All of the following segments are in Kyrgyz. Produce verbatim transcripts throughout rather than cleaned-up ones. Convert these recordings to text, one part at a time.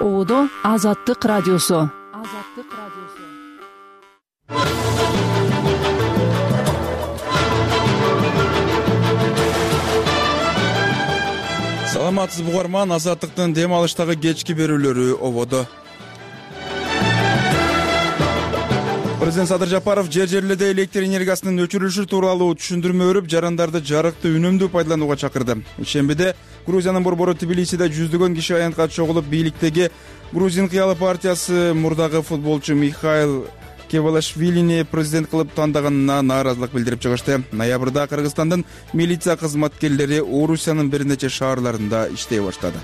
Оодо Азаттык радиосу. Азаттык радиосу. Саламатсызбы угарман, Азаттыктын дем алыштагы кечки берүүлөрү ободо. Президент Садыр Жапаров жер жерлерде электр энергиясынын өчүрүлүшү тууралуу түшүндүрмө берип, жарандарды жарыкты үнөмдүү пайдаланууга чакырды. Ишембиде Грузиянын борбору Тбилисиде жүздөгөн киши аянтка чогулуп, бийликтеги Грузин кыялы партиясы мурдагы футболчу Михаил Кевалашвилини президент кылып тандаганына нааразылык билдирип чыгышты. Ноябрда Кыргызстандын милиция кызматкерлери Орусиянын бир нече шаарларында иштей баштады.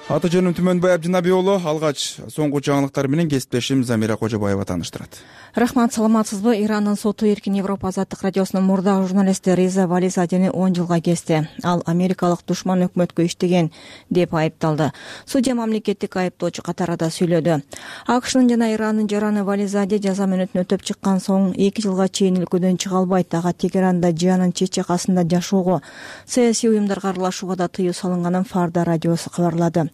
Аты жөнүм Түмөнбай Абдинаби уулу. Алгач соңку жаңылыктар менен кесиптешим Замира Кожобаева тааныштырат. Рахмат, саламатсызбы? Ирандын соту Эркин Европа азаттык радиосунун мурдагы журналисти Реза Вализадени он жылга кести. Ал америкалык душман өкмөткө иштеген деп айыпталды. Судья мамлекеттик айыптоочу катарында сүйлөдү. АКШнын жана Ирандын жараны Вализаде жаза мөөнөтүн өтөп чыккан соң эки жылга чейин өлкөдөн чыга албайт. Ага Тегеранда Жианын чет-чакасында жашоого, саясий уюмдарга аралашууга да тыюу салынганын Фарда радиосу кабарлады.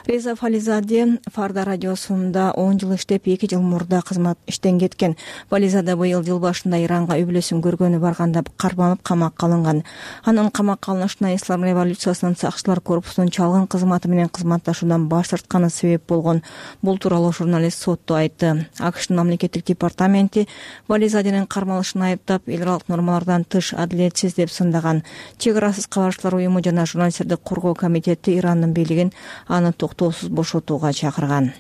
Реза Вализаде Фарда радиосунда он жыл иштеп, эки жыл мурда кызмат иштен кеткен. Вализаде быйыл жыл башында Иранга үй-бүлөсүн көргөнү барганда кармалып камакка алынган. Анын камакка алынышына Ислам революциясынын сакчылар корпусунун чалгын кызматы менен кызматташуудан баш тартканы себеп болгон. Бул тууралуу журналист сотто айтты. АКШнын мамлекеттик департаменти Вализаденин кармалышын айыптап, эл аралык нормалардан тыш, адилетсиз деп сындаган. Чек арасыз кабарчылар уюму жана журналисттерди коргоо комитети Ирандын бийлигин аны токтоосуз бошотууга чакырган.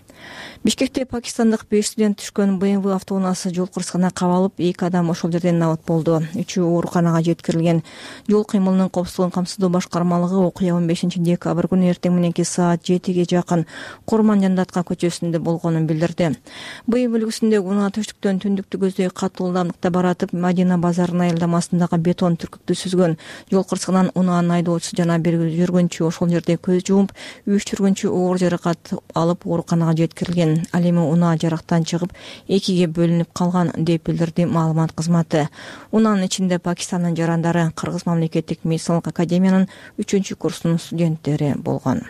Бишкекте пакистандык беш студент түшкөн бэ эм вэ автоунаасы жол кырсыгына кабалып, эки адам ошол жерден набат болду. Үчөө ооруканага жеткирилген. Жол кыймылынын коопсуздугун камсыздоо башкармалыгы окуя он бешинчи декабрь күнү эртең мененки саат жетиге жакын Курман Жандатка көчөсүндө болгонун билдирди. бэ эм вэ үлгүсүндөгү унаа түштүктөн түндүктү көздөй катуу ылдамдыкта баратып, Мадина базарынын аялдамасындагы бетон түркүктү сүзгөн. Жол кырсыгынан унаанын айдоочусу жана бир жүргүнчү ошол жерде көз жумуп, үч жүргүнчү оор жаракат алып ооруканага жеткирилген. Ал эми унаа жарактан чыгып, экиге бөлүнүп калган деп билдирди маалымат кызматы. Унаанын ичинде Пакистандын жарандары, Кыргыз мамлекеттик медициналык академиянын үчүнчү курсунун студенттери болгон.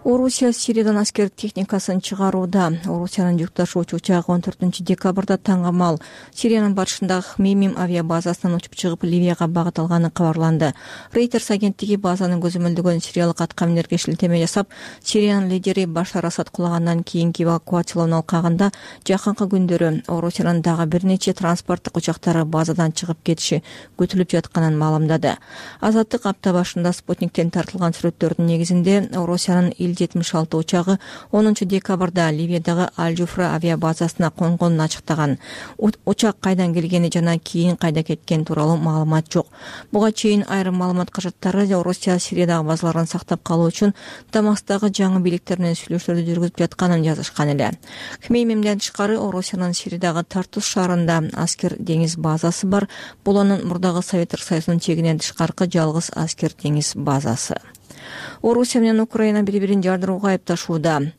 Орусия Сириядан аскер техникасын чыгарууда. Орусиянын жүк ташуучу учагы он төртүнчү декабрда таңга мал Сириянын батышындагы Хмеймим авиабазасынан учуп чыгып, Ливияга багыт алганы кабарланды. Reuters агенттиги базанын көзөмөлдөгөн сириялык аткаминерге шилтеме жасап, Сириянын лидери Башар Асад кулагандан кийинки эвакуациялоо алкагында жакынкы күндөрү Орусиянын дагы бир нече транспорттук учактары базадан чыгып кетиши күтүлүп жатканын маалымдады. Азаттык апта башында Спутниктен тартылган сүрөттөрдүн негизинде Орусиянын жетимиш алты учагы онунчу декабрда Ливиядагы Аль-Жуфра авиабазасына конгонун ачыктаган. Учак кайдан келгени жана кийин кайда кеткен тууралуу маалымат жок. Буга чейин айрым маалымат кажаттары Орусия Сириядагы базаларын сактап калуу үчүн Дамаскдагы жаңы бийликтер менен сүйлөшүүлөрдү жүргүзүп жатканын жазышкан эле. Хмеймимден тышкары Орусиянын Сириядагы Тартус шаарында аскер деңиз базасы бар. Бул анын мурдагы Советтер Союзунун чегинен тышкаркы жалгыз аскер деңиз базасы. Орусия менен Украина бири-бирин жардырууга айыпташууда.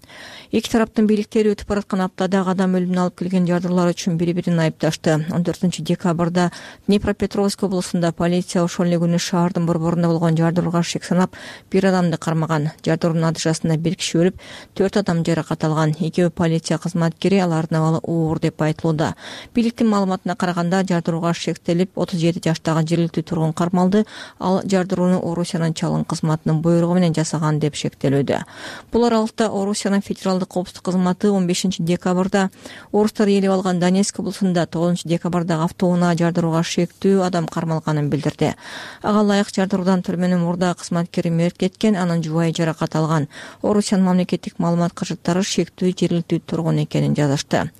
Эки тараптын бийликтери өтүп бараткан аптада адам өлүмүнө алып келген жардырлар үчүн бири-бирин айыпташты. он төртүнчү декабрда Днепропетровск облусунда полиция ошол эле күнү шаардын борборунда болгон жардырууга шек санап, бир адамды кармаган. Жардыруунун натыйжасында бир киши өлүп, төрт адам жаракат алган. Экөө полиция кызматкери, алардын абалы оор деп айтылууда. Бийликтин маалыматына караганда, жардырууга шектелип отуз жети жаштагы жергиликтүү тургун кармалды. Ал жардырууну Орусиянын чалгын кызматынын буйругу менен жасаган деп шектелүүдө. Бул аралыкта Орусиянын федералдык коопсуздук кызматы он бешинчи декабрда орустар ээлеп алган Донецк облусунда тогузунчу декабрдагы автоунаа жардырууга шектүү адам кармалганын билдирди. Ага ылайык жардыруудан түрмөнүн мурда кызматкери мерт кеткен, анын жубайы жаракат алган. Орусиянын мамлекеттик маалымат кажаттары шектүү жергиликтүү тургун экенин жазышты.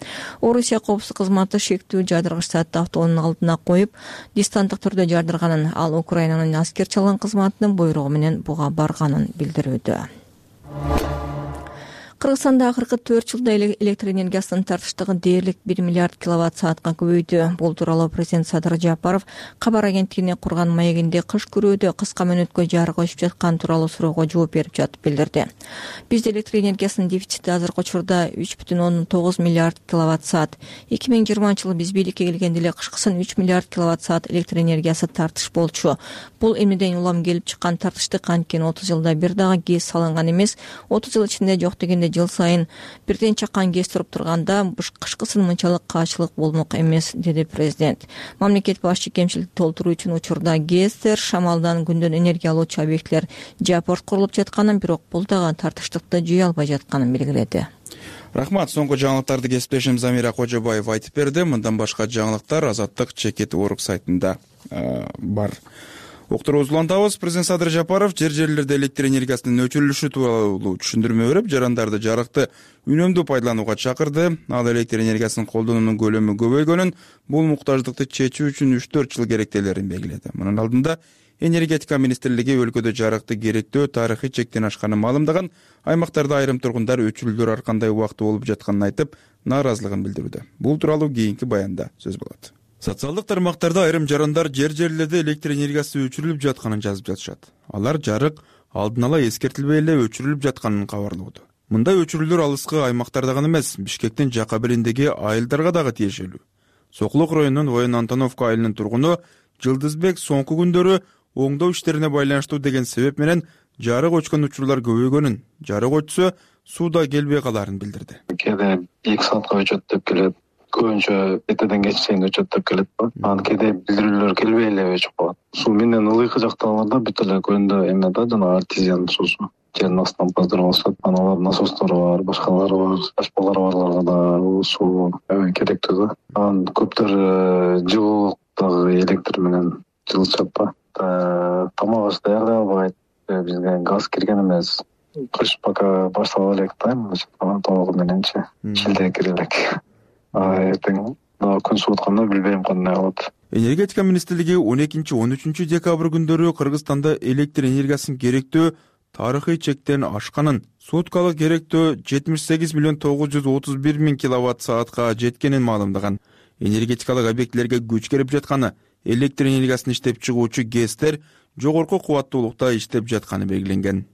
Орусия коопсуздук кызматы шектүү жардыргыч саатты автоунун алдына коюп, дистанттык түрдө жардырганын, ал Украинанын аскер чалгын кызматынын буйругу менен буга барганын билдирүүдө. Кыргызстанда акыркы төрт жылда электр энергиясынын тартыштыгы дээрлик бир миллиард киловатт саатка көбөйдү. Бул тууралуу президент Садыр Жапаров кабар агенттигине курган маегинде кыш күрөөдө кыска мөөнөткө жарык өчүп жаткан тууралуу суроого жооп берип жатып билдирди. Бизде электр энергиясынын дефицити азыркы учурда үч бүтүн ондон тогуз миллиард киловатт саат. эки миң жыйырманчы жылы биз бийликке келгенде эле кышкысын үч миллиард киловатт саат электр энергиясы тартыш болчу. Бул эмнеден улам келип чыккан тартыштык, анткени отуз жылда бир дагы гэс салынган эмес. отуз жыл ичинде жок дегенде жыл сайын бирден чаккан гэс туруп турганда кышкысын мынчалык каачылык болмок эмес, деди президент. Мамлекет башчы кемчиликти толтуруу үчүн учурда гэстер, шамалдан, күндөн энергия алуучу объектилер жапорт курулуп жатканын, бирок бул дагы тартыштыкты жыя албай жатканын белгиледи. Рахмат. Соңку жаңылыктарды кесиптешим Замира Кожобаева айтып берди. Мындан башка жаңылыктар Азаттык чекит орг сайтында бар. Уктуруубузду улантабыз. Президент Садыр Жапаров жер жерлерде электр энергиясынын өчүрүлүшү тууралуу түшүндүрмө берип, жарандарды жарыкты үнөмдүү пайдаланууга чакырды. Ал электр энергиясынын колдонуунун көлөмү көбөйгөнүн, бул муктаждыкты чечүү үчүн үч төрт жыл керектелерин белгиледи. Мунун алдында Энергетика министрлиги өлкөдө жарыкты керектөө тарыхый чектен ашканын маалымдаган, аймактарда айрым тургундар өчүрүүлөр ар кандай убакта болуп жатканын айтып, нааразылыгын билдирүүдө. Бул тууралуу кийинки баянда сөз болот. Социалдык тармактарда айрым жарандар жер жерлерде электр энергиясы өчүрүлүп жатканын жазып жатышат. Алар жарык алдын ала эскертилбей эле өчүрүлүп жатканын кабарлоодо. Мындай өчүрүүлөр алыскы аймактарда гана эмес, Бишкектин жака белиндеги айылдарга дагы тиешелүү. Сокулук районунун Воен Антоновка айылынын тургуну Жылдызбек соңку күндөрү оңдоо иштерине байланыштуу деген себеп менен жарык өчкөн учурлар көбөйгөнүн, жарык өчсө сууда келбей калаарын билдирди. Кээде эки саатка өчөт деп келет, көбүнчө эртеден кечке чейин өчөт деп келет. Анан кээде билдирүүлөр келбей эле өчүп калат. Суу менен ылыйкы жактагыларда бүт эле көндө эме да, жана артезиан суусу жердин астынан поздорго алышат. Анан алардын насостору бар, башкалары бар, ачпалары барларга да суу керектүү да. Анан көптөр жылуулуктагы электр менен жылытышат да. Тамак аш даярдай албайт. Бизге газ кирген эмес. Кыш пока баштала элек да, толугу мененчи шилде кире элек. Эртең күн суутканда билбейм кандай болот. Энергетика министрлиги он экинчи он үчүнчү декабрь күндөрү Кыргызстанда электр энергиясын керектөө тарыхый чектен ашканын, суткалык керектөө жетимиш сегиз миллион тогуз жүз отуз бир миң киловатт саатка жеткенин маалымдаган. Энергетикалык объектилерге күч керип жатканы, электр энергиясын иштеп чыгуучу гэстер жогорку кубаттуулукта иштеп жатканы белгиленген.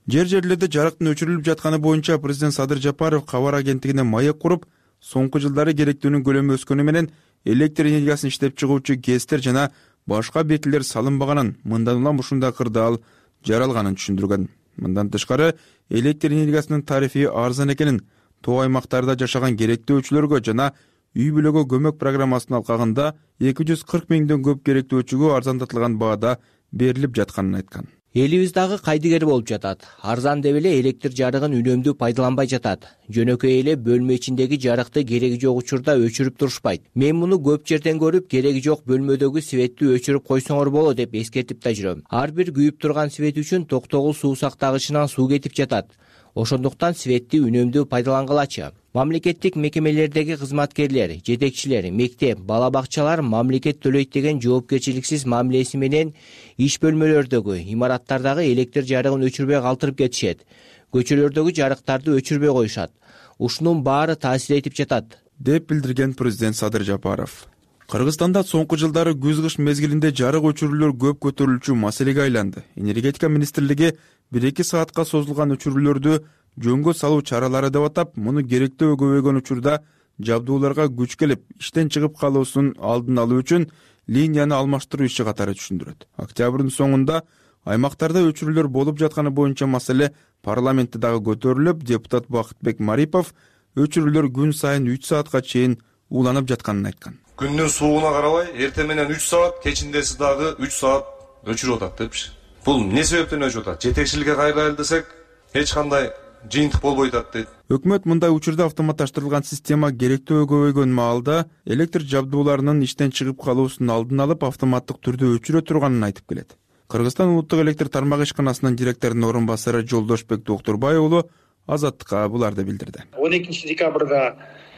Жер жерлерде жарыктын өчүрүлүп жатканы боюнча президент Садыр Жапаров кабар агенттигине маек куруп, соңку жылдары керектөөнүн көлөмү өскөнү менен электр энергиясын иштеп чыгуучу гэстер жана башка объектилер салынбаганын, мындан улам ушундай кырдаал жаралганын түшүндүргөн. Мындан тышкары электр энергиясынын тарифи арзан экенин, тоо аймактарда жашаган керектөөчүлөргө жана үй бүлөгө көмөк программасынын алкагында эки жүз кырк миңден көп керектөөчүгө арзандатылган баада берилип жатканын айткан. Элибиз дагы кайдыгер болуп жатат. Арзан деп эле электр жарыгын үнөмдүү пайдаланбай жатат. Жөнөкөй эле бөлмө ичиндеги жарыкты кереги жок учурда өчүрүп турушпайт. Мен муну көп жерден көрүп, кереги жок бөлмөдөгү светти өчүрүп койсоңор болот деп эскертип да жүрөм. Ар бир күйүп турган свет үчүн токтогул суу сактагычынан суу кетип жатат. Ошондуктан светти үнөмдүү пайдалангылачы. Мамлекеттик мекемелердеги кызматкерлер, жетекчилер, мектеп, бала бакчалар мамлекет төлөйт деген жоопкерчиликсиз мамилеси менен иш бөлмөлөрдөгү, имараттардагы электр жарыгын өчүрбөй калтырып кетишет. Көчөлөрдөгү жарыктарды өчүрбөй коюшат. Ушунун баары таасир этип жатат, деп билдирген президент Садыр Жапаров. Кыргызстанда соңку жылдары күз-кыш мезгилинде жарык өчүрүүлөр көп көтөрүлчү маселеге айланды. Энергетика министрлиги бир эки саатка созулган өчүрүүлөрдү жөнгө салуу чаралары деп атап, муну керектөө көбөйгөн учурда жабдууларга күч келип, иштен чыгып калуусун алдын алуу үчүн линияны алмаштыруу иши катары түшүндүрөт. Октябрдын соңунда аймактарда өчүрүүлөр болуп жатканы боюнча маселе парламентте дагы көтөрүлүп, депутат Бакытбек Марипов өчүрүүлөр күн сайын үч саатка чейин уланып жатканын айткан. Күндүн суугуна карабай, эртең менен үч саат, кечиндеси дагы үч саат өчүрүп атат депчи. Бул эмне себептен өчүп атат? Жетекчиликке кайрылайлы десек, эч кандай жыйынтык болбой атат дейт. Өкмөт мындай учурда автоматташтырылган система керектөө көбөйгөн маалда электр жабдууларынын иштен чыгып калуусун алдын алып автоматтык түрдө өчүрө турганын айтып келет. Кыргызстан улуттук электр тармагы ишканасынын директорунун орун басары Жолдошбек Доктурбай уулу Азаттыкка буларды билдирди. он экинчи декабрда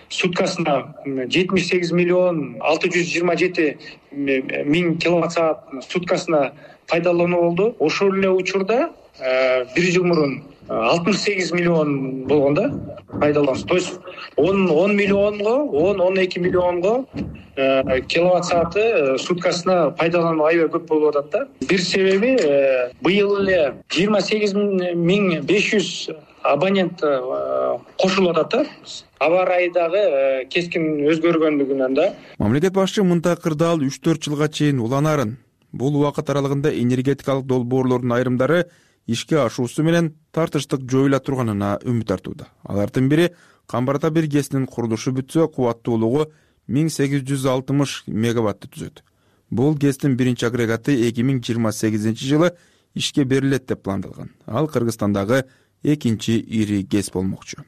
суткасына жетимиш сегиз миллион алты жүз жыйырма жети миң киловатт саат суткасына пайдалануу болду. Ошол эле учурда бир жыл мурун алтымыш сегиз миллион болгон да пайдалануусу. То есть он он миллионго он он эки миллионго киловатт сааты суткасына пайдалануу аябай көп болуп атат да. Бир себеби быйыл эле жыйырма сегиз миң беш жүз абонент кошулуп атат да. Аба ырайы дагы кескин өзгөргөндүгүнөн да. Мамлекет башчы мындай кырдаал үч төрт жылга чейин уланарын, бул убакыт аралыгында энергетикалык долбоорлордун айрымдары ишке ашуусу менен тартыштык жоюла турганына үмүт артууда. Алардын бири Камбарда бир ГЭСнин курулушу бүтсө, кубаттуулугу миң сегиз жүз алтымыш мегаватты түзөт. Бул ГЭСтин биринчи агрегаты эки миң жыйырма сегизинчи жылы ишке берилет деп пландалган. Ал Кыргызстандагы экинчи ири ГЭС болмокчу.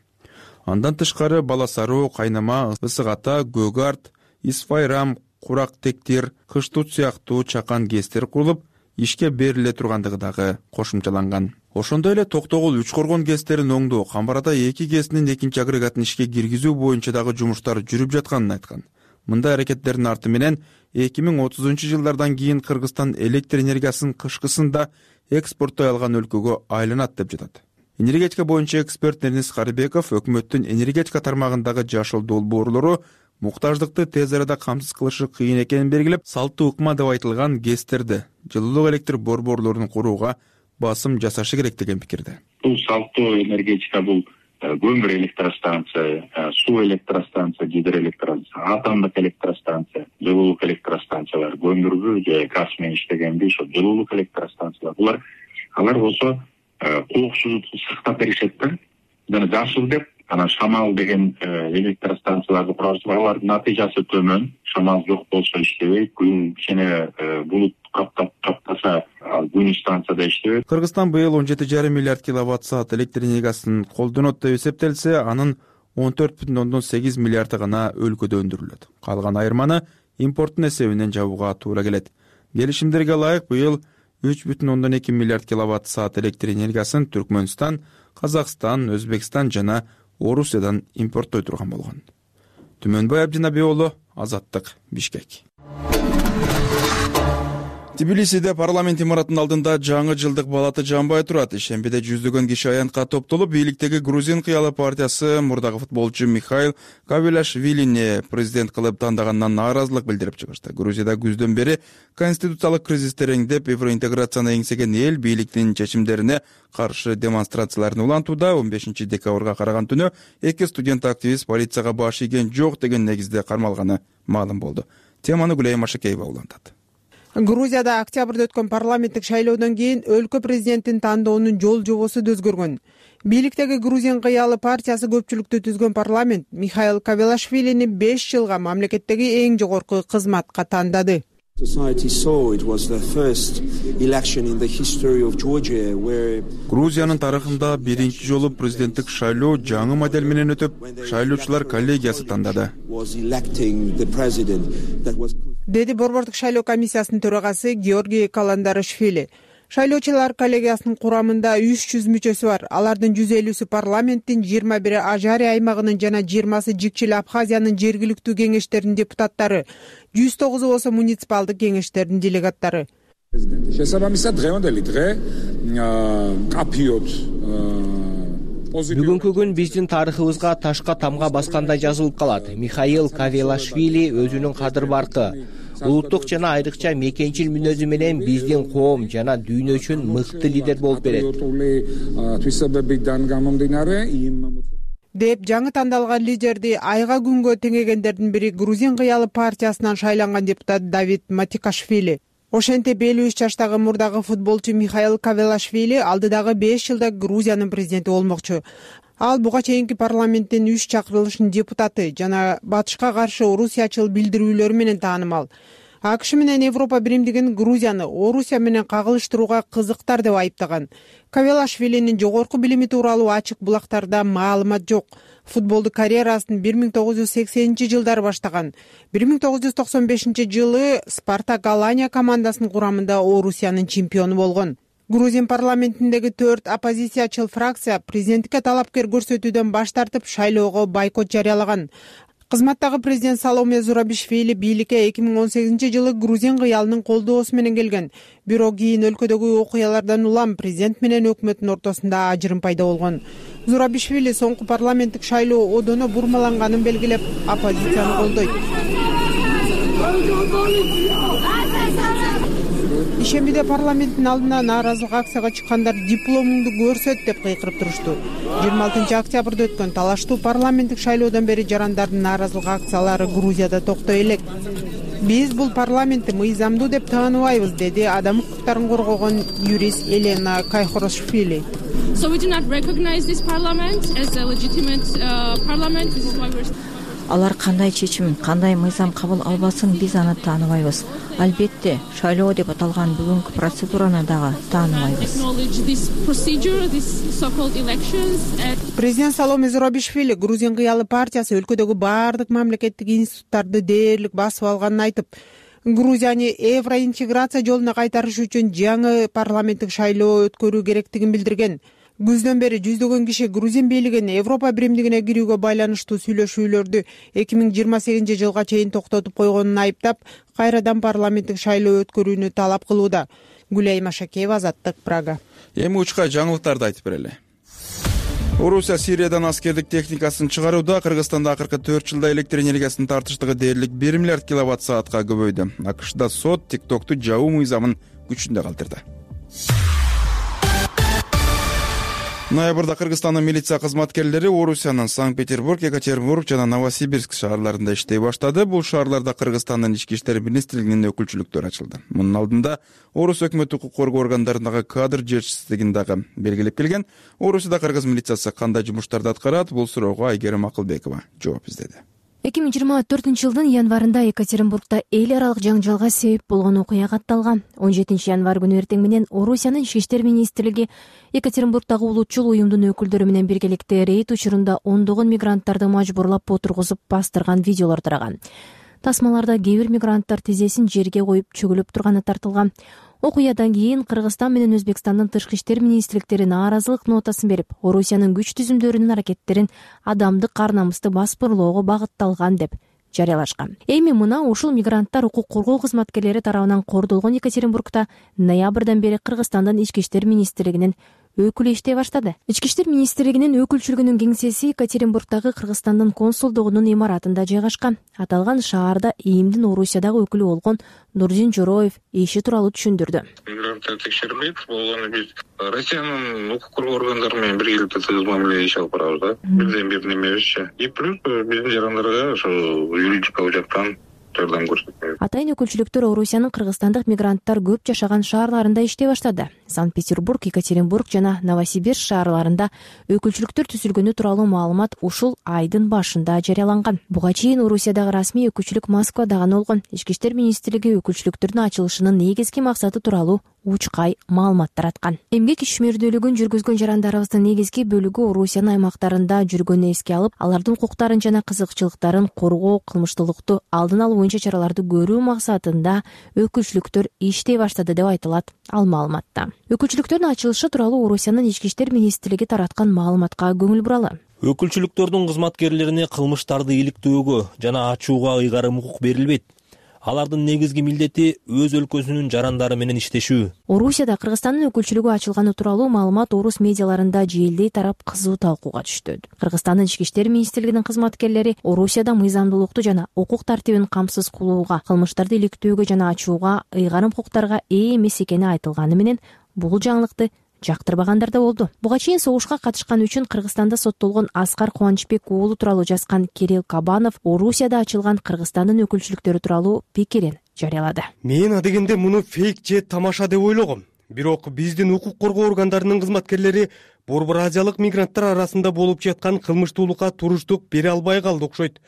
Андан тышкары Бала Сароо, Кайнама, Ысык Ата, Көк Арт, Исфайрам, Курак Тектир, Кыштут сыяктуу чакан ГЭСтер курулуп, ишке бериле тургандыгы дагы кошумчаланган. Ошондой эле Токтогул үч коргон ГЭСтерин оңдоо, Камбарда эки ГЭСнин экинчи агрегатын ишке киргизүү боюнча дагы жумуштар жүрүп жатканын айткан. Мындай аракеттердин арты менен эки миң отузунчу жылдардан кийин Кыргызстан электр энергиясын кышкысында экспорттой алган өлкөгө айланат деп жатат. Энергетика боюнча эксперт Эрнис Карыбеков өкмөттүн энергетика тармагындагы жашыл долбоорлору муктаждыкты тез арада камсыз кылышы кыйын экенин белгилеп, салттуу ыкма деп айтылган ГЭСтерди жылуулук электр борборлорун курууга басым жасашы керек деген пикирде. Бул салттуу энергетика бул көмүр электростанция, суу электростанция, гидроэлектростанция, атомдук электростанция, жылуулук электростанциялар, көмүргү же газ менен иштегенби ошо жылуулук электростанциялар. Булар алар болсо коопсуздукту сактап беришет да. Жана жашыл деп анан шамал деген электростанцияларды курабыз. Алардын натыйжасы төмөн, шамал жок болсо иштебейт, күн кичине булут каптап каптаса күн станцияда иштебейт. Кыргызстан быйыл он жети жарым миллиард киловатт саат электр энергиясын колдонот деп эсептелсе, анын он төрт бүтүн ондон сегиз миллиарды гана өлкөдө өндүрүлөт. Калган айырманы импорттун эсебинен жабууга туура келет. Келишимдерге ылайык быйыл үч бүтүн ондон эки миллиард киловатт саат электр энергиясын Түркмөнстан, Казакстан, Өзбекстан жана Орусиядан импорттой турган болгон. Түмөнбай Абдинабек уулу, Азаттык, Бишкек. Тбилисиде парламент имаратынын алдында жаңы жылдык балаты жанбай турат. Ишембиде жүздөгөн киши аянтка топтолуп, бийликтеги Грузин кыялы партиясы мурдагы футболчу Михаил Кавелашвилини президент кылып тандагандан нааразылык билдирип чыгышты. Грузияда күздөн бери конституциялык кризис тереңдеп, евроинтеграцияны эңсеген эл бийликтин чечимдерине каршы демонстрацияларын улантууда. он бешинчи декабрга караган түнү эки студент активист полицияга баш ийген жок деген негизде кармалганы маалым болду. Теманы Гүлай Машакеева улантат. Грузияда октябрда өткөн парламенттик шайлоодон кийин өлкө президентин тандоонун жол жобосу да өзгөргөн. Бийликтеги Грузин кыялы партиясы көпчүлүктү түзгөн парламент Михаил Кавелашвилини беш жылга мамлекеттеги эң жогорку кызматка тандады. Грузиянын тарыхында биринчи жолу президенттик шайлоо жаңы модель менен өтүп, шайлоочулар коллегиясы тандады. Деди борбордук шайлоо комиссиясынын төрагасы Георгий Каландарашвили. Шайлоочулар коллегиясынын курамында үч жүз мүчөсү бар. Алардын жүз элүүсү парламенттин, жыйырма бири Ажари аймагынын жана жыйырмасы Жикчил Абхазиянын жергиликтүү кеңештеринин депутаттары, жүз тогузу болсо муниципалдык кеңештердин делегаттары. Бүгүнкү күн биздин тарыхыбызга ташка тамга баскандай жазылып калат. Михаил Кавелашвили өзүнүн кадыр баркы, улуттук жана айрыкча мекенчил мүнөзү менен биздин коом жана дүйнө үчүн мыкты лидер болуп берет деп жаңы тандалган лидерди айга күнгө теңегендердин бири Грузин кыялы партиясынан шайланган депутат Давид Матикашвили. Ошентип элүү үч жаштагы мурдагы футболчу Михаил Кавелашвили алдыдагы беш жылда Грузиянын президенти болмокчу. Ал буга чейинки парламенттин үч чакырылышынын депутаты жана батышка каршы орусиячыл билдирүүлөрү менен таанымал. АКШ менен Европа биримдигин Грузияны Орусия менен кагылыштырууга кызыктар деп айыптаган. Кавелашвилинин жогорку билими тууралуу ачык булактарда маалымат жок. Футболду карьерасын бир миң тогуз жүз сексенинчи жылдары баштаган. бир миң тогуз жүз токсон бешинчи жылы Спартак Алания командасынын курамында Орусиянын чемпиону болгон. Грузин парламентиндеги төрт оппозициячыл фракция президенттикке талапкер көрсөтүүдөн баш тартып, шайлоого бойкот жарыялаган. Кызматтагы президент Саломе Зурабишвили бийликке эки миң он сегизинчи жылы грузин кыялынын колдоосу менен келген. Бирок кийин өлкөдөгү окуялардан улам президент менен өкмөттүн ортосунда ажырым пайда болгон. Зурабишвили соңку парламенттик шайлоо одоно бурмаланганын белгилеп, оппозицияны колдойт. Ишембиде парламенттин алдына нааразылык акцияга чыккандар дипломуңду көрсөт деп кыйкырып турушту. жыйырма алтынчы октябрда өткөн талаштуу парламенттик шайлоодон бери жарандардын нааразылык акциялары Грузияда токтой элек. Биз бул парламентти мыйзамдуу деп тааныбайбыз, деди адам укуктарын коргогон юрист Елена Кайхорошвили. So we do not recognize this parliament as a legitimate uh, parliament. This is why we're Алар кандай чечим, кандай мыйзам кабыл албасын, биз аны тааныбайбыз. Албетте, шайлоо деп аталган бүгүнкү процедураны дагы тааныбайбыз. Президент Саломе Зурабишвили Грузин кыялы партиясы өлкөдөгү баардык мамлекеттик институттарды дээрлик басып алганын айтып, Грузияны евроинтеграция жолуна кайтарыш үчүн жаңы парламенттик шайлоо өткөрүү керектигин билдирген. Күздөн бери жүздөгөн киши грузин бийлигин Европа биримдигине кирүүгө байланыштуу сүйлөшүүлөрдү эки миң жыйырма сегизинчи жылга чейин токтотуп койгонун айыптап, кайрадан парламенттик шайлоо өткөрүүнү талап кылууда. Гүлай Машакеева, Азаттык, Прага. Эми учка жаңылыктарды айтып берели. Орусия Сириядан аскердик техникасын чыгарууда Кыргызстанда акыркы төрт жылда электр энергиясынын тартыштыгы дээрлик бир миллиард киловатт саатка көбөйдү. АКШда сот тиктокту жабуу мыйзамын күчүндө калтырды. Ноябрда Кыргызстандын милиция кызматкерлери Орусиянын Санкт-Петербург, Екатеринбург жана Новосибирск шаарларында иштей баштады. Бул шаарларда Кыргызстандын ички иштер министрлигинин өкүлчүлүктөрү ачылды. Мунун алдында Орус өкмөт укук коргоо органдарындагы кадр жетишсиздигин дагы белгилеп келген. Орусияда кыргыз милициясы кандай жумуштарды аткарат? Бул суроого Айгерим Акылбекова жооп издеди. эки миң жыйырма төртүнчү жылдын январында Екатеринбургда эл аралык жаңжалга себеп болгон окуя катталган. он жетинчи январ күнү эртең менен Орусиянын ички иштер министрлиги Екатеринбургдагы улутчул уюмдун өкүлдөрү менен биргеликте рейд учурунда ондогон мигранттарды мажбурлап отургузуп бастырган видеолор тараган. Тасмаларда кээ бир мигранттар тизесин жерге коюп чөгүлүп турганы тартылган. Окуядан кийин Кыргызстан менен Өзбекстандын тышкы иштер министрликтери нааразылык нотасын берип, Орусиянын күч түзүмдөрүнүн аракеттерин адамдык ар намысты баспырлоого багытталган деп жарыялашкан. Эми мына ушул мигранттар укук коргоо кызматкерлери тарабынан кордолгон Екатеринбургда ноябрдан бери Кыргызстандын ички иштер министрлигинин өкүлү иштей баштады. Ички иштер министрлигинин өкүлчүлүгүнүн кеңсеси Екатеринбургдагы Кыргызстандын консулдугунун имаратында жайгашкан. Аталган шаарда ИИМдин Орусиядагы өкүлү болгон Нурдин Жороев иши тууралуу түшүндүрдү. Мигранттар текшерилбейт, болгону биз Россиянын укук коргоо органдары менен биргеликте тыгыз мамиле иш алып барабыз да. Бирден бир немебизчи. И плюс биздин жарандарга ошо юридикалык жактан жардам көрсөтөбүз. Атайын өкүлчүлүктөр Орусиянын кыргызстандык мигранттар көп жашаган шаарларында иштей баштады. Санкт-Петербург, Екатеринбург жана Новосибирск шаарларында өкүлчүлүктөр түзүлгөнү тууралуу маалымат ушул айдын башында жарыяланган. Буга чейин Орусиядагы расмий өкүлчүлүк Москвада гана болгон. Ички иштер министрлиги өкүлчүлүктөрдүн ачылышынын негизги максаты тууралуу учкай маалымат тараткан. Эмгек ишмердүүлүгүн жүргүзгөн жарандарыбыздын негизги бөлүгү Орусиянын аймактарында жүргөнү эске алып, алардын укуктарын жана кызыкчылыктарын коргоо, кылмыштуулукту алдын алуу боюнча чараларды көрүү максатында өкүлчүлүктөр иштей баштады деп айтылат ал маалыматта. Өкүлчүлүктөрдүн ачылышы тууралуу Орусиянын ички иштер министрлиги тараткан маалыматка көңүл буралы. Өкүлчүлүктөрдүн кызматкерлерине кылмыштарды иликтөөгө жана ачууга ыйгарым укук берилбейт. Алардын негизги милдети өз өлкөсүнүн жарандары менен иштешүү. Орусияда Кыргызстандын өкүлчүлүгү ачылганы тууралуу маалымат орус медиаларында желдей тарап кызуу талкууга түштү. Кыргызстандын ички иштер министрлигинин кызматкерлери Орусияда мыйзамдуулукту жана укук тартибин камсыз кылууга, кылмыштарды иликтөөгө жана ачууга ыйгарым укуктарга ээ эмес экени айтылганы менен бул жаңылыкты жактырбагандар да болду. Буга чейин согушка катышкан үчүн Кыргызстанда соттолгон Аскар Кубанычбек уулу тууралуу жазган Кирилл Кабанов Орусияда ачылган Кыргызстандын өкүлчүлүктөрү тууралуу пикирин жарыялады. Мен адегенде муну фейк же тамаша деп ойлогом. Бирок биздин укук коргоо органдарынын кызматкерлери Борбор Азиялык мигранттар арасында болуп жаткан кылмыштуулукка туруштук бере албай калды окшойт.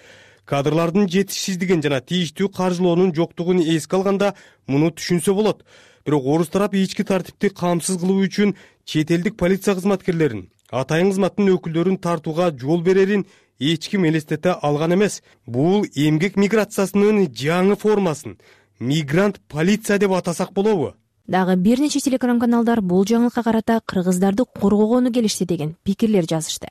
Кадрлардын жетишсиздигин жана тийиштүү каржылоонун жоктугун эске алганда муну түшүнсө болот. Бирок орус тарап ички тартипти камсыз кылуу үчүн чет элдик полиция кызматкерлерин, атайын кызматтын өкүлдөрүн тартууга жол берерин эч ким элестете алган эмес. Бул эмгек миграциясынын жаңы формасын мигрант полиция деп атасак болобу? Дагы бир нече телеканалдар бул жаңылыкка карата кыргыздарды коргогону келишти деген пикирлер жазышты.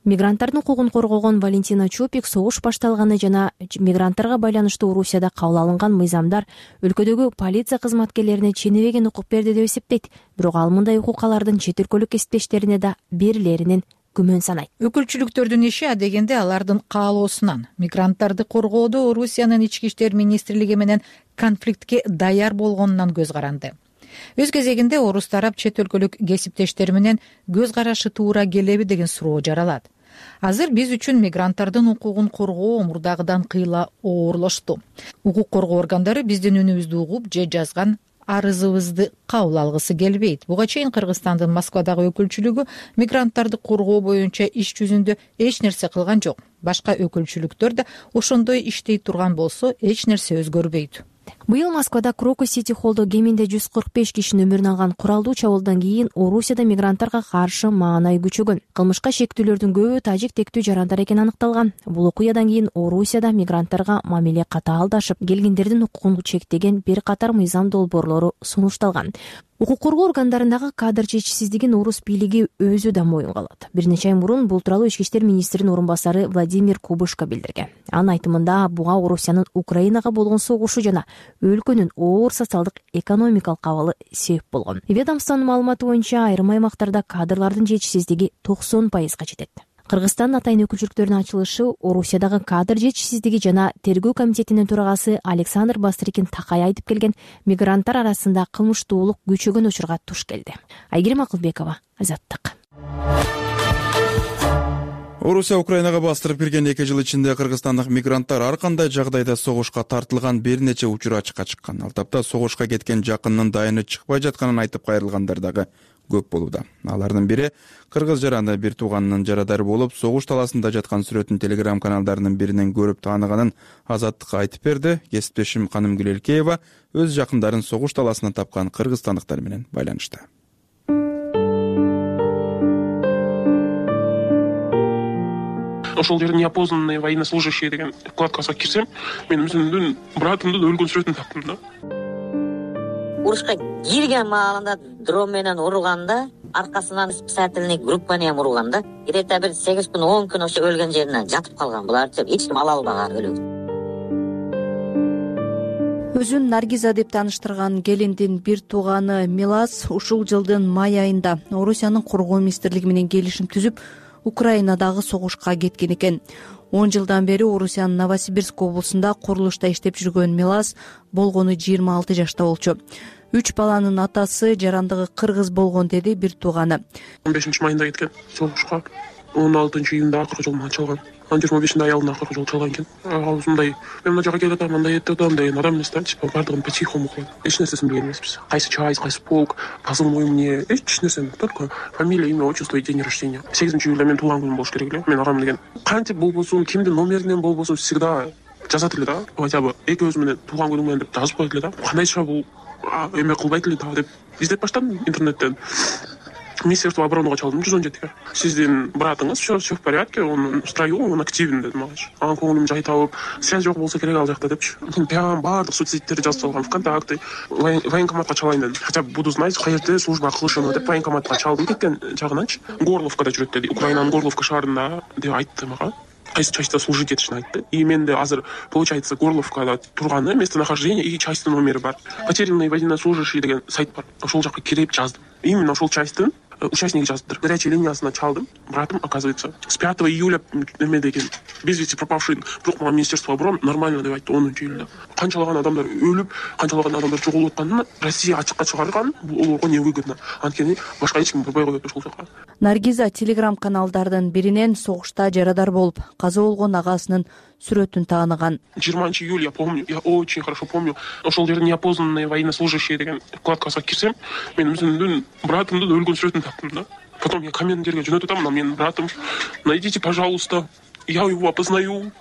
Мигранттардын укугун коргогон Валентина Чупик согуш башталганы жана мигранттарга байланыштуу Орусияда кабыл алынган мыйзамдар өлкөдөгү полиция кызматкерлерине ченебеген укук берди деп эсептейт. Бирок ал мындай укук алардын чет өлкөлүк кесиптештерине да берилеринин күмөн санайт. Өкүлчүлүктөрдүн иши адегенде алардын каалоосунан. Мигранттарды коргоодо Орусиянын ички иштер министрлиги менен конфликтке даяр болгонунан көз каранды. Өз кезегинде орус тарап чет өлкөлүк кесиптештери менен көз карашы туура келеби деген суроо жаралат. Азыр биз үчүн мигранттардын укугун коргоо мурдагыдан кыйла оорлошту. Укук коргоо органдары биздин үнүбүздү угуп же жазган арызыбызды кабыл алгысы келбейт. Буга чейин Кыргызстандын Москвадагы өкүлчүлүгү мигранттарды коргоо боюнча иш жүзүндө эч нерсе кылган жок. Башка өкүлчүлүктөр да ошондой иштей турган болсо эч нерсе өзгөрбөйт. Быйыл Москвада Крокус Сити Холлдо кеминде жүз кырк беш кишинин өмүрүн алган куралдуу чабуулдан кийин Орусияда мигранттарга каршы маанай күчөгөн. Кылмышка шектүүлөрдүн көбү тажик тектүү жарандар экени аныкталган. Бул окуядан кийин Орусияда мигранттарга мамиле катаалдашып, келгендердин укугун чектеген бир катар мыйзам долбоорлору сунушталган. Укук коргоо органдарындагы кадр жетишсиздигин орус бийлиги өзү да моюнга алат. Бир нече ай мурун бул тууралуу ички иштер министринин орун басары Владимир Кубышко билдирген. Анын айтымында буга Орусиянын Украинага болгон согушу жана өлкөнүн оор социалдык экономикалык абалы себеп болгон. Ведомствонун маалыматы боюнча айрым аймактарда кадрлардын жетишсиздиги токсон пайызга жетет. Кыргызстандын атайын өкүлчүлүктөрүнүн ачылышы Орусиядагы кадр жетишсиздиги жана тергөө комитетинин төрагасы Александр Бастрыкин такай айтып келген мигранттар арасында кылмыштуулук күчөгөн учурга туш келди. Айгерим Акылбекова, Азаттык. Орусия Украинага бастырып кирген эки жыл ичинде кыргызстандык мигранттар ар кандай жагдайда согушка тартылган бир нече учур ачыкка чыккан. Ал тапта согушка кеткен жакынынын дайыны чыкпай жатканын айтып кайрылгандар дагы көп болууда. Алардын бири кыргыз жараны бир тууганынын жарадары болуп, согуш таласында жаткан сүрөтүн телеграм каналдарынын биринен көрүп тааныганын Азаттыкка айтып берди. Кесиптешим Канымгүл Элкеева өз жакындарын согуш таласынан тапкан кыргызстандыктар менен байланышты. Ошол жерде неопознанные военнослужащие деген вкладкага кирсем, мен өзүмдүн братымдын өлгөн сүрөтүн таптым да. Урушка кирген маалында дрон менен урганда, аркасынан спасательный группа менен урганда, где-то бир сегиз күн он күн ошо өлгөн жеринен жатып калган. Буларчы эч ким ала албаган өлүк. Өзүн Наргиза деп тааныштырган келиндин бир тууганы Милас ушул жылдын май айында Орусиянын коргоо министрлиги менен келишим түзүп, Украинадагы согушка кеткен экен. он жылдан бери Орусиянын Новосибирск облусунда курулушта иштеп жүргөн Милас болгону жыйырма алты жашта болчу. Үч баланын атасы, жарандыгы кыргыз болгон, деди бир тууганы. он бешинчи майында кеткен согушка. он алтынчы июнда акыркы жолун чалган. Анан жыйырма бешинде аялына акыркы жолу чалган экен. Аузундай мен мына жака келип атам, мындай этип атам деген адам эмес да, типа бардыгын по-тихому кылат. Эч нерсесин билген эмеспиз. Кайсы часть, кайсы полк, позывной мне, эч нерсе эмес, только фамилия, имя, отчество и день рождения. сегизинчи июлда мен туулган күнүм болуш керек эле. Мен агам деген кантип болбосун, кимдин номеринен болбосун всегда жазат эле да. Хотя бы эки өзү менен туулган күнүм менен деп жазып коет эле да. Кандайча бул эме кылбайт эле да деп издеп баштадым интернеттен. Министерство обороны чалдым жүз он жетиге. Сиздин братыңыз все все в порядке, он в строю, он активен деди мага. Анан көңүлүм жай табып, связь жок болсо керек ал жакта депчи. Мен прям баардык соцсеттерди жазып салгам, ВКонтакте, военкоматка чалайын дедим. Хотя бы буду знать, каерде служба кылышын деп военкоматка чалдым кеткен жагынанчы. Горловкада жүрөт деди, Украинанын Горловка шаарында деп айтты мага. Кайсы частьта служить этишин айтты. И менде азыр получается Горловкада турганы местонахождение и частьтын номери бар. Потерянные военнослужащие деген сайт бар. Ошол жака кирип жаздым. Именно ошол частьтын участник жаздыр. Горячая линиясына чалдым. Братым, оказывается, с пятого июля эме деген без вести пропавший. Бирок мага Министерство обороны нормально деп айтты онунчу июлда. Канчалаган адамдар өлүп, канчалаган адамдар жоголуп атканын Россия ачыкка чыгарган, бул олорго невыгодно. Анткени башка эч ким барбай коет ошол жака. Наргиза телеграм каналдардын биринен согушта жарадар болуп, каза болгон агасынын сүрөтүн тааныган. жыйырманчы июля я помню, я очень хорошо помню. Ошол жерде неопознанные военнослужащие деген вкладкага кирсем, мен өзүмдүн братымдын өлгөн сүрөтүн таптым да. Потом я командирге жөнөтүп атам, но менин братым, найдите, пожалуйста, я его опознаю.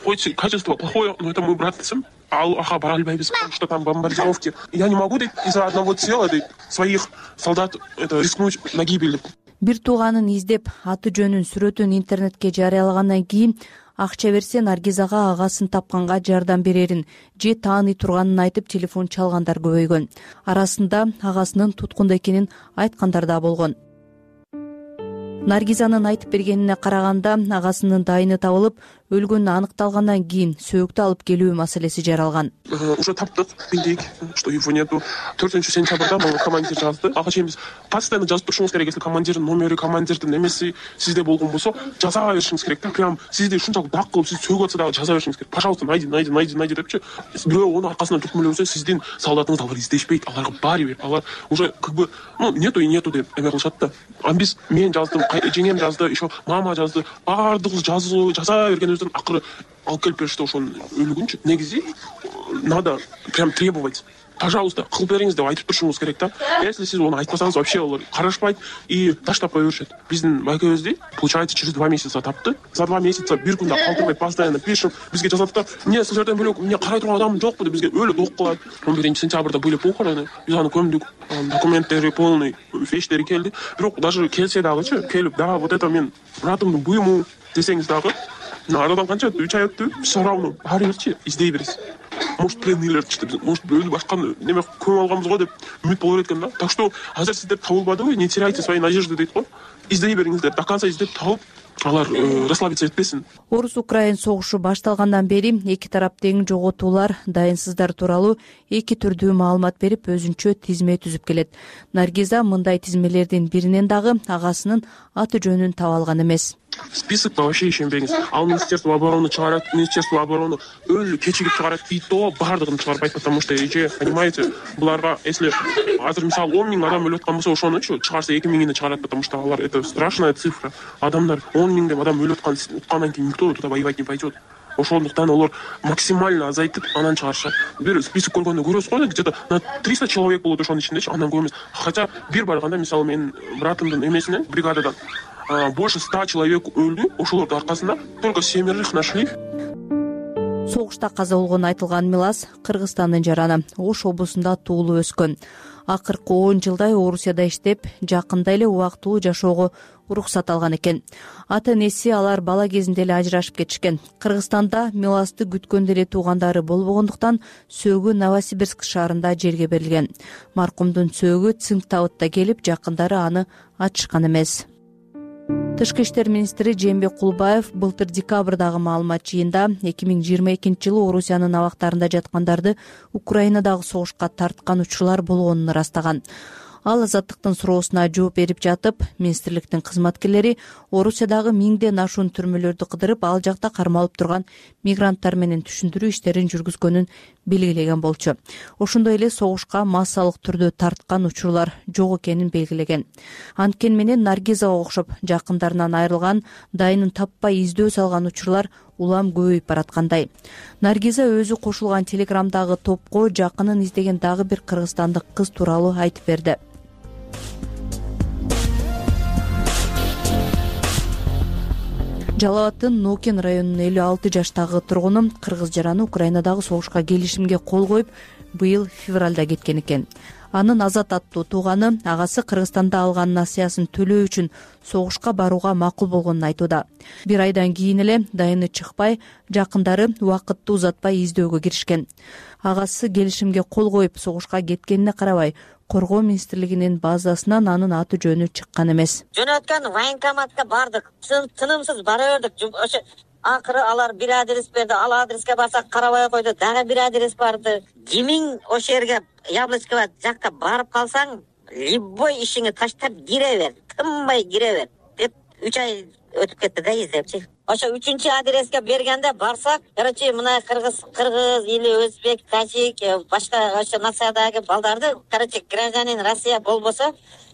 Хоть качество плохое, но это мой брат десем. Ал аха бара албайбыз, потому что там бомбардировки. Я не могу из-за одного тела своих солдат это рискнуть на гибель. Бир тууганын издеп аты жөнүн сүрөтүн интернетке жарыялагандан кийин акча берсе Наргизага агасын тапканга жардам берерин же тааный турганын айтып телефон чалгандар көбөйгөн. Арасында агасынын туткунда экенин айткандар да болгон. Наргизанын айтып бергенине караганда агасынын дайыны табылып, өлгөнү аныкталгандан кийин сөөктү алып келүү маселеси жаралган. Уже таптык, билдик, что его нету. төртүнчү сентябрда мага командир жазды. Ага чейин биз постоянно жазып турушуңуз керек. Если командирдин номери, командирдин эмеси сизде болгон болсо, жаза беришиңиз керек да. Прям сизди ушунчалык дак кылып, сиз сөгүп атса дагы жаза беришиңиз керек. Пожалуйста, найди, найди, найди, найди депчи. Бирөө onu аркасынан түртмөлөп жүрсө, сиздин солдатыңызды алар издешпейт. Аларга баары бир. Алар уже как бы, ну, нету и нету деп эме кылышат да. А биз мен жаздым, жеңем жазды, еще мама жазды. Баардыгыбыз жазуу, жаза бергенибизден акыры алып келип беришти ошонун өлүгүнчү. Негизи надо прям требовать. Пожалуйста, кылып бериңиз деп айтып турушуңуз керек да. Если сиз onu айтпасаңыз, вообще алар карашпайт и таштап кое беришет. Биздин байкебизди, получается, через два месяца тапты. За два месяца бир күндө калтырбай постоянно пишем. Бизге жазат да, эмне сиз жерден бөлөк, эмне карай турган адамым жокпу деп бизге өлүп ок кылат. он биринчи сентябрда были похороны. Биз аны көмдүк. Документтери полный, вещтери келди. Бирок даже келсе дагычы, келип, да, вот это мен братымдын буюму десеңиз дагы, арадан канча үч ай өттү, все равно баары бирчи издей бересиз. Может, пленныйлер чыкты, может, бөлүп башка неме көмүп алганбыз го деп үмүт боло берет экен да. Так что азыр сиздер табылбадыбы, не теряйте свои надежды дейт го. Издей бериңиздер, до конца издеп табып, алар расслабиться этпесин. Орус-Украин согушу башталгандан бери эки тарап тең жоготуулар, дайынсыздар тууралуу эки түрдүү маалымат берип, өзүнчө тизме түзүп келет. Наргиза мындай тизмелердин биринен дагы агасынын аты жөнүн таба алган эмес. Списокко вообще ишенбеңиз. Ал Министерство обороны чыгарат, Министерство обороны өлү кечигип чыгарат, и то баардыгын чыгарбайт, потому что эже, понимаете, буларга если азыр мисалы он миң адам өлүп аткан болсо, ошонучу чыгарса эки миңини чыгарат, потому что алар это страшная цифра. Адамдар он миңдеп адам өлүп аткандан кийин никто туда воевать не пойдет. Ошондуктан алар максимально азайтып анан чыгарышат. Бир список көргөндө көрөсүз го, где-то на триста человек болот ошонун ичиндечи, андан көп эмес. Хотя бир барганда мисалы менин братымдын эмесинен, бригададан больше ста человек өлдү, ошолордун аркасында только семерых нашли. Согушта каза болгон айтылган Милас Кыргызстандын жараны, Ош облусунда туулуп өскөн. Акыркы он жылдай Орусияда иштеп, жакында эле убактылуу жашоого уруксат алган экен. Ата-энеси алар бала кезинде эле ажырашып кетишкен. Кыргызстанда Миласты күткөндө эле туугандары болбогондуктан сөөгү Новосибирск шаарында жерге берилген. Маркумдун сөөгү Цинктабытта келип, жакындары аны ачышкан эмес. Тышкы иштер министри Жээнбек Кулбаев былтыр декабрдагы маалымат жыйында эки миң жыйырма экинчи жылы Орусиянын абактарында жаткандарды Украинадагы согушка тарткан учурлар болгонун ырастаган. Ал азаттыктын суроосуна жооп берип жатып, министрликтин кызматкерлери Орусиядагы миңден ашуун түрмөлөрдү кыдырып, ал жакта кармалып турган мигранттар менен түшүндүрүү иштерин жүргүзгөнүн белгилеген болчу. Ошондой эле согушка массалык түрдө тарткан учурлар жок экенин белгилеген. Анткени менен Наргизага окшоп жакындарынан айрылган, дайынын таппай издөө салган учурлар улам көбөйүп бараткандай. Наргиза өзү кошулган телеграмдагы топко жакынын издеген дагы бир кыргызстандык кыз тууралуу айтып берди. Жалал абаддын Нокен районунун элүү алты жаштагы тургуну кыргыз жараны Украинадагы согушка келишимге кол коюп, быйыл февралда кеткен экен. Анын Азат аттуу тууганы агасы Кыргызстанда алган насыясын төлөө үчүн согушка барууга макул болгонун айтууда. Бир айдан кийин эле дайыны чыкпай, жакындары убакытты узатпай издөөгө киришкен. Агасы келишимге кол коюп согушка кеткенине карабай, Коргоо министрлигинин базасынан анын аты жөнү чыккан эмес. Жөнөткөн военкоматка бардык, тынымсыз бара бердик. Ошо акыры алар бир адрес берди, ал адреске барсак карабай койду, дагы бир адрес барды. Кимиң ошо жерге Яблочково жакка барып калсаң, любой ишиңи таштап кире бер, тынбай кире бер деп үч ай өтүп кетти да издепчи. Ошо үчүнчү адреске бергенде барсак, короче, мына кыргыз, кыргыз или өзбек, тажик, башка ошо нациядагы балдарды, короче, гражданин Россия болбосо,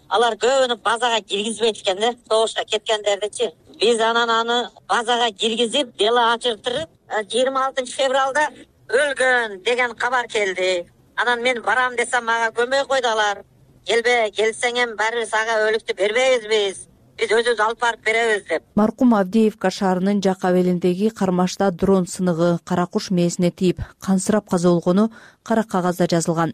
алар көбүнү базага киргизбейт экен да, согушка кеткендердичи. Биз анан аны базага киргизип, дело ачыртырып, жыйырма алтынчы февралда өлгөн деген кабар келди. Анан мен барам десем, мага көмөй койду алар. Келбе, келсең эми баары сага өлүктү бербейбиз биз. Биз өзүбүз алып барып беребиз деп. Маркум Авдеевка шаарынын жак абелиндеги кармашта дрон сыныгы кара куш мээсине тийип, кансырап каза болгону кара кагазда жазылган.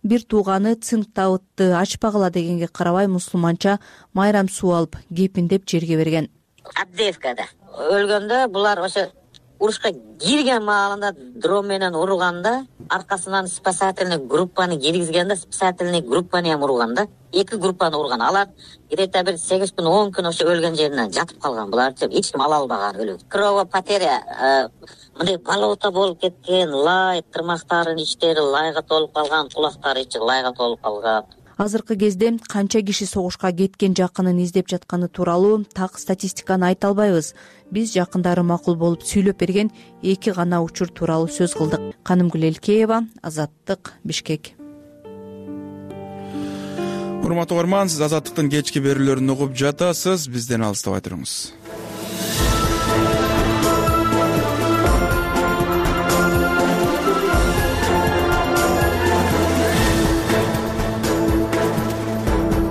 Бир тууганы Цинктабытты ачпагыла дегенге карабай мусулманча майрам суу алып, кепиндеп жерге берген. Авдеевкада өлгөндө булар ошо урушка кирген маалында дрон менен урганда, аркасынан спасательный группаны киргизгенде, спасательный группаны ham урган да. Эки группаны урган. Алар где-то бир сегиз күн, он күн ошо өлгөн жеринен жатып калган. Буларды эч ким ала албаган өлүп. Кровопотеря, мындай болото болуп кеткен, лай, тырмактарынын иштери лайга толуп калган, кулактары ичи лайга толуп калган. Азыркы кезде канча киши согушка кеткен жакынын издеп жатканы тууралуу так статистиканы айта албайбыз. Биз жакындары макул болуп сүйлөп берген эки гана учур тууралуу сөз кылдык. Канымгүл Элкеева, Азаттык, Бишкек. Урматтуу угарман, сиз Азаттыктын кечки берүүлөрүн угуп жатасыз. Бизден алыстабай туруңуз.